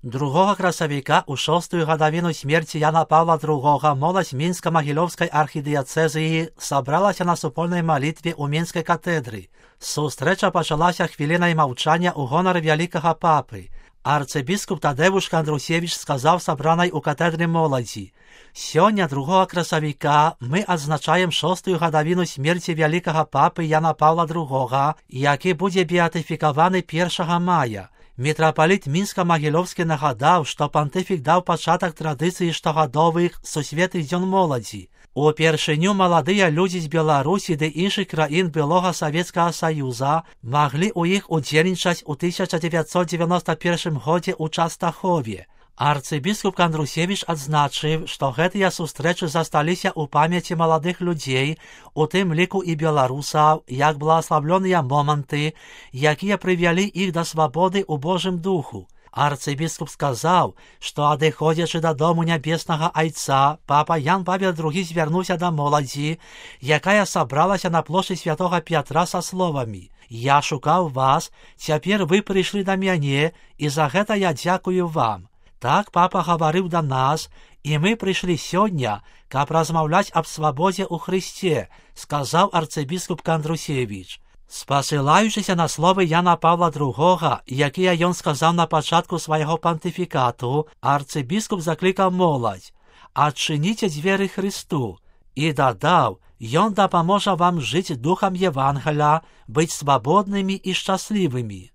2 красавіка ў 6-ю гадавіну смерці Яна Павла II моладзь Мінска-Магілёўскай архідыяцэзіі сабралася на супольнай малітве ў Мінскай катедры. Сустрэча пачалася хвілінай маўчання ў гонар вялікага папы. Арцыбіскуп Тадэвуш Кандрусевіч сказаў сабранай у катедры моладзі: «Сёння 2 красавіка мы адзначаем 6-ю гадавіну смерці вялікага папы Яна Павла II, які будзе беатыфікаваны 1 мая. Мітрапаліт Мінска-Магілёўскі нагадаў, што пантыфік даў пачатак традыцыі штогадовых сусветных дзён моладзі. Упершыню маладыя людзі з Беларусі ды іншых краін былога Савецкага Саюза маглі ў іх удзельнічаць у 1991 годзе ў Частахове. Арцыбіскуп Кандрусевіч адзначыў, што гэтыя сустрэчы засталіся ў памяці маладых людзей, у тым ліку і беларусаў, як благаславлёныя моманты, якія прывялі іх да свабоды ў Божым духу. Арцыбіскуп сказаў, што адыходзячы дадому нябеснага айца, папа Ян Павел II звярнуўся да моладзі, якая сабралася на плошчы святога Пятра са словамі: «Я шукаў вас, цяпер вы прыйшлі да мяне, і за гэта я дзякую вам». Так папа гаварыў да нас, і мы прыйшлі сёння, каб размаўляць аб свабодзе ў Хрысце, сказаў арцыбіскуп Кандрусевіч. Спасылаючыся на словы Яна Павла II, якія ён сказаў на пачатку свайго пантыфікату, арцыбіскуп заклікаў моладзь: «Адчыніце дзверы Хрысту», і дадаў: «Ён дапаможа вам жыць духам Евангеля, быць свабоднымі і шчаслівымі».